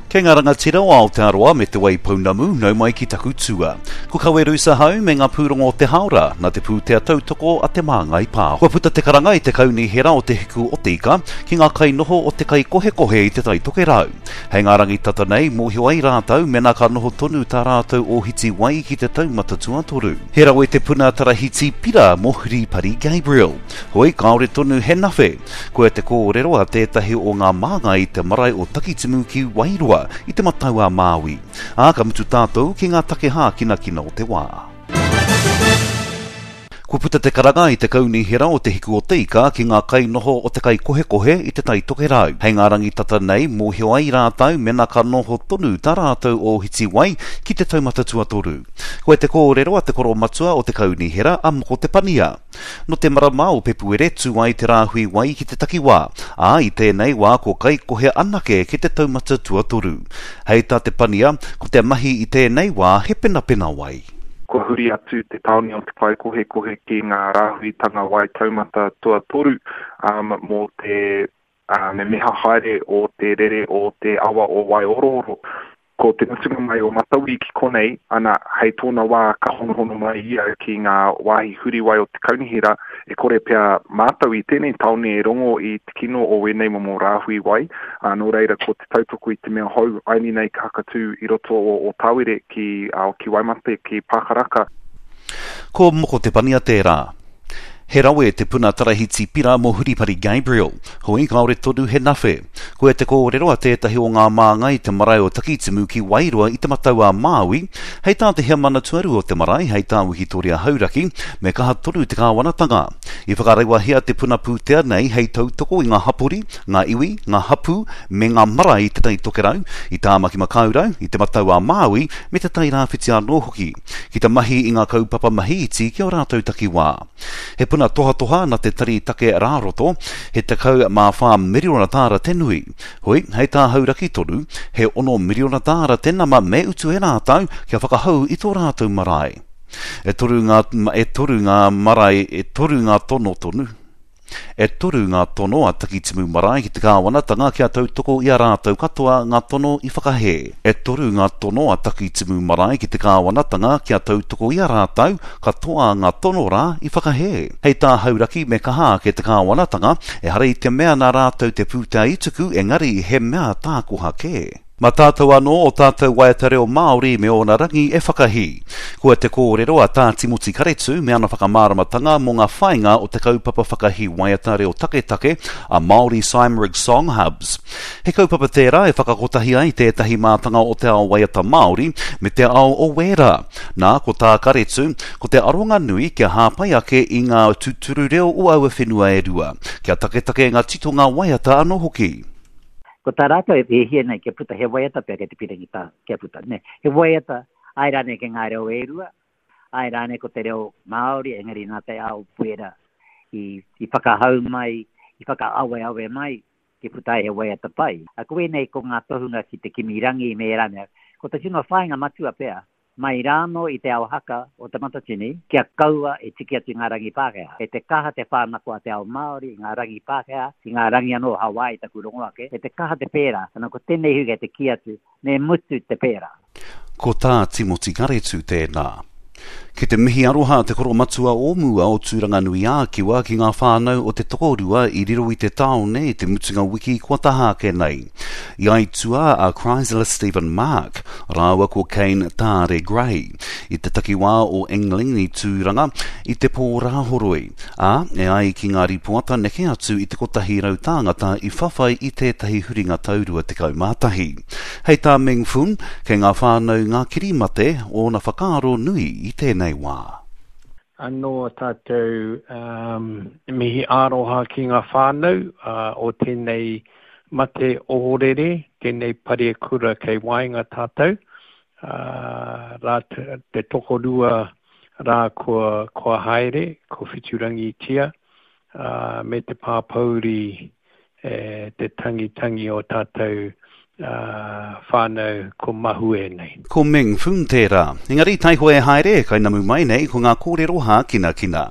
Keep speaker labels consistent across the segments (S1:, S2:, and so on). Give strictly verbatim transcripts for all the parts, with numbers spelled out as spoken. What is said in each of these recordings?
S1: Kei ngā rangatira o Aotearoa me Te Waipounamu, nau mai ki taku tua. Ko Kaweru Sahau me ngā pūrongo o te haora, nā te pūtea tautoko a Te Māngai Pāho. Kua puta te karanga i te kaunihera o Te Hiku o Te Ika ki ngā kainoho o te kaikohekohe i Te Tai Tokerau. Hei ngā rangi tata nei, mōhio ai rātou mena ka noho tonu tā rātou ōhiti wai ki te taumata tuatoru. He rawe te puna tarahiti pira mō Huripari Gabriel. Hoi, kāore tonu he nawhe. Koia te kōrero a tētahi o ngā māngai i te marae o Takitimu ki Wairoa i Te Matau-a-Māui. Ā, ka mutu tātou ki ngā take hākinakina o te wā. Kua puta te karanga i te kaunihera o Te Hiku o Te Ika ki ngā kainoho o te kaikohekohe i Te Tai Tokerau. Hei ngā rangi tata nei, mōhio ai rātou mena ka noho tonu tā rātou ōhiti wai ki te taumata tuatoru. Koia te kōrero a te koromatua o te kaunihera a Moko Te Pania. Nō te marama o Pepuere tū ai te rāhui wai ki te takiwā, ā, i tēnei wā ko Kaikohe anake ki te taumata tuatoru. Hei tā Te Pania, ko te mahi i tēnei wā he penapena wai.
S2: Kua huri atu te tāone o te Kaikohekohe ki ngā rāhuitanga wai taumata tuatoru um, mō te uh, memeha haere o te rere o te awa o Waiorooro. Ko te mutunga mai o Matauri ki konei, ana, hei tōna wā ka honohono mai ia ki ngā wāhi huriwai o te kaunihera, e kore pea mātou i tēnei tāone e rongo i te kino o wēnei momo rāhui wai, ā, nō reira ko te tautoko i te mea hou aini nei ka hakatū i roto o Ōtawere ki, ā, ki Waimate, ki Pākaraka.
S1: Ko Moko Te Pania tērā. He rawe te puna tarahiti pira mō Huripari Gabriel. Hoi, kāore tonu he nawhe. Koia te kōrero a tētahi o ngā māngai i te marae o Takitimu ki Wairoa i Te Matau-a-Māui, hei tā te heamana tuarua o te marae, hei tā Wikitoria Hauraki, me kaha tonu te kāwanatanga. I whakarewahia te puna pūtea nei hei tautoko i ngā hapori, ngā iwi, ngā hapū, me ngā marae i Te Tai Tokerau, i Tāmaki-makau-rau, i Te Matau-a-Māui, me Te Tai Rāwhiti anō hoki, ki te mahi i ngā kaupapa mahi iti ki ō rātou takiwā. He puna tohatoha na te Tari Take Rāroto, he tekau mā whā miriona tāra te nui. Hoi, hei tā Hauraki tonu, he ono miriona tāra te nama me utu e rātou kia whakahou i tō rātou marae. E toru ngā, e toru ngā marae, e toru ngā tono tonu. E toru ngā tono a Takitimu Marae ki te kāwanatanga kia tautoko i a rātou katoa ngā tono i whakahē. E toru ngā tono a Takitimu Marae ki te kāwanatanga kia tautoko i a rātou katoa ngā tono rā i whakahē. Hei tā Hauraki me kaha ake te kāwanatanga, ehara i te mea nā rātou te pūtea i tuku engari he mea tākoha kē. Mā tātou anō o tātou waiata reo Māori me ōna rangi e whakahī. Kua te kōrero a Tā Timoti Karetu me ana whakamāramatanga mō ngā whāinga o te kaupapa whakahī waiata reo taketake a Māori Cymraeg Song Hubs. He kaupapa tērā e whakakotahi ai tētahi mātanga o te ao waiata Māori me te ao o Wēra. Nā, ko tā Karetu, ko te aronga nui kia hāpai ake i ngā tūturu reo o aua whenua e rua, kia taketake ngā titonga waiata anō hoki.
S3: Ko tā rātou e hiahia nei kia puta he waiata pea kei te pīrangi tā, kia puta, nē. He waiata, āe rānei ki ngā reo e rua, āe rānei ko te reo Māori, engari nā te ao wera i, i whakahau mai, i whakaaweawe mai, kia puta ai he waiata pai. A ko ēnei ko ngā tohunga ki te kimi rangi me ērā mea. Ko te tino whāinga matua pea, mai rānō i te ao haka o Te Matatini, kia kaua e tiki atu i ngā rangi Pākehā. Kei te kaha te whānako a te ao Māori i ngā rangi Pākehā, i ngā rangi anō o Hawaii taku rongo ake, kei te kaha te pērā, ana ko tēnei hui kei te kī atu, me mutu te pērā.
S1: Ko tā Timoti Karetu tēnā. Ki te mihi aroha te koromatua o mua o Tūranganui-ā-Kiwa ki ngā whānau o te tokorua i riro i te tāone i te mutunga wiki kua taha ake nei. I aituā a Chrysler Stephen Mark rāua ko Kane Tāre Gray i te takiwā o Engling i Tūranga i te pō Rāhoroi, ā, e ai ki ngā rīpoata neke atu i te kotahi rau tāngata i whawhai i tētahi huringa tau rua tekau mā tahi. Hei tā Meng Foon, kei ngā whānau ngā kirimate ōna whakaaro nui i tēnei wā.
S4: Anō a tātou mihi aroha ki ngā whānau o tēnei mate ohorere, tēnei parekura kei waenga tātou, rā te tokorua rā kua, kua haere, ko Whiturangitia, me te pāpōuri e te tangitangi o tātou whānau ko mahue nei.
S1: Ko Meng Foon tērā. Engari taihoa e haere, kainamu mai nei ko ngā kōrero hākinakina.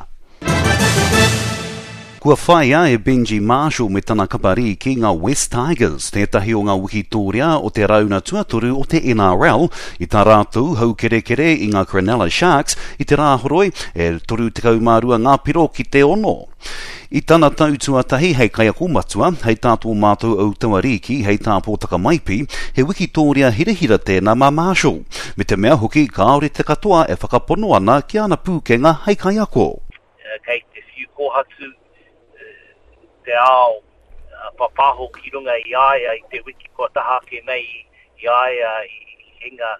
S1: Kua whāia e Benji Marshall me tana kapa rīki ngā West Tigers, tētahi o ngā wikitōria o te rauna tuatoru o te N R L, i tā rātou haukerekere i ngā Cronulla Sharks i te Rāhoroi e toru tekau mā rua ngā piro ki te ono. I tana tau tuatahi hei kaiako matua, hei tā tō mātou autaua rīki, hei tā Pōtaka Maipi, he wikitōria hirahira tēnā mā Marshall. Me te mea hoki kāore te katoa e whakapono ana ki ana pūkenga hei kaiako.
S5: Kei te whiu kōhatu te ao papaho ki runga i a ia i te wiki kua taha ake nei i a ia i hinga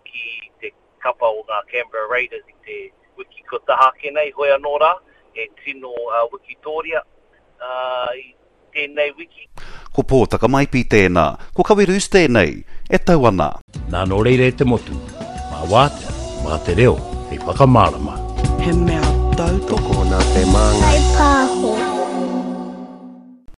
S5: ki te kapa o ngā Canberra Raiders i te wiki kua taha ake nei. Hoi anō rā, he tino uh, wikitōria uh, i tēnei wiki.
S1: Ko Pōtaka Maipi tēnā, ko Kawerus tēnei, e tau ana.
S6: Nā nō reira e te motu, mā wātea, mā te reo, hei whakamārama.
S7: He mea tautoko
S8: Tokona te māngai.
S9: Pāho.